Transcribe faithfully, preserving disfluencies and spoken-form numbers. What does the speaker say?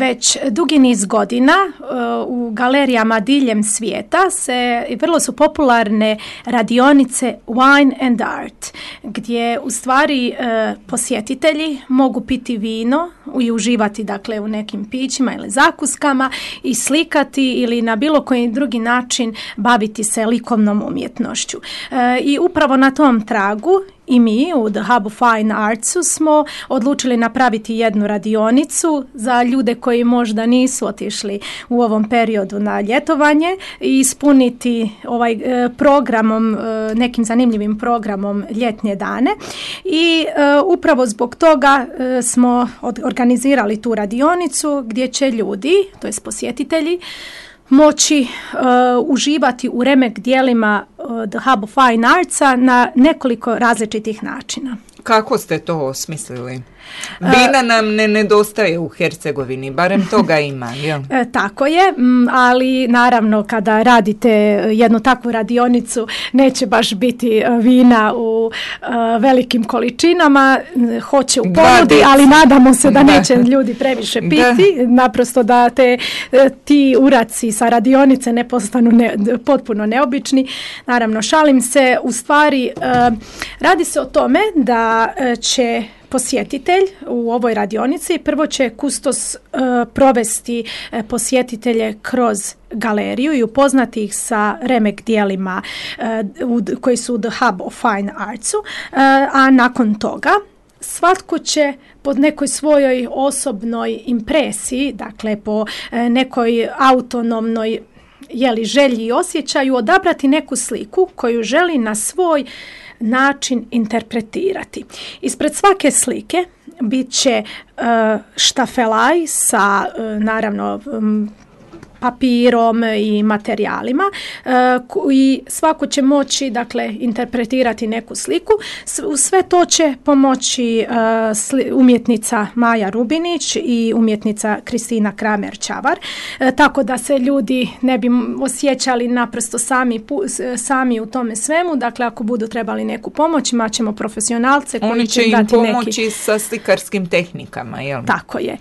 već dugi niz godina u galerijama diljem svijeta se vrlo su popularne radionice Wine and Art, gdje u stvari posjetitelji mogu piti vino i uživati dakle u nekim pićima ili zakuskama i slikati ili na bilo koji drugi način baviti se likovnom umjetnošću. I upravo na tom tragu i mi u The Hub of Fine Artsu smo odlučili napraviti jednu radionicu za ljude koji možda nisu otišli u ovom periodu na ljetovanje i ispuniti ovaj e, programom, e, nekim zanimljivim programom ljetnje dane. I e, upravo zbog toga e, smo od, organizirali tu radionicu gdje će ljudi, to jest posjetitelji, moći uh, uživati u remek dijelima uh, The Hub of Fine Artsa na nekoliko različitih načina. Kako ste to osmislili? Vina nam ne nedostaje u Hercegovini, barem toga ima. Ja. E, tako je, ali naravno kada radite jednu takvu radionicu neće baš biti vina u uh, velikim količinama, hoće u ponudi, ali nadamo se da neće ljudi previše piti, da. Naprosto da te ti uraci sa radionice ne postanu ne, potpuno neobični. Naravno, šalim se, u stvari uh, radi se o tome da uh, će posjetitelj u ovoj radionici prvo će kustos uh, provesti uh, posjetitelje kroz galeriju i upoznati ih sa remek dijelima uh, u, koji su u The Hub of Fine Artsu, uh, a nakon toga svatko će po nekoj svojoj osobnoj impresiji, dakle po uh, nekoj autonomnoj jeli, želji i osjećaju odabrati neku sliku koju želi na svoj način interpretirati. Ispred svake slike bit će uh, štafelaj sa uh, naravno um, papirom i materijalima uh, i svako će moći dakle interpretirati neku sliku. U sve to će pomoći uh, sli, umjetnica Maja Rubinić i umjetnica Kristina Kramer-Čavar, uh, tako da se ljudi ne bi osjećali naprosto sami, pu, sami u tome svemu. Dakle, ako budu trebali neku pomoć, imat ćemo profesionalce koji Oni će im dati pomoći neki... sa slikarskim tehnikama, jel? Tako je.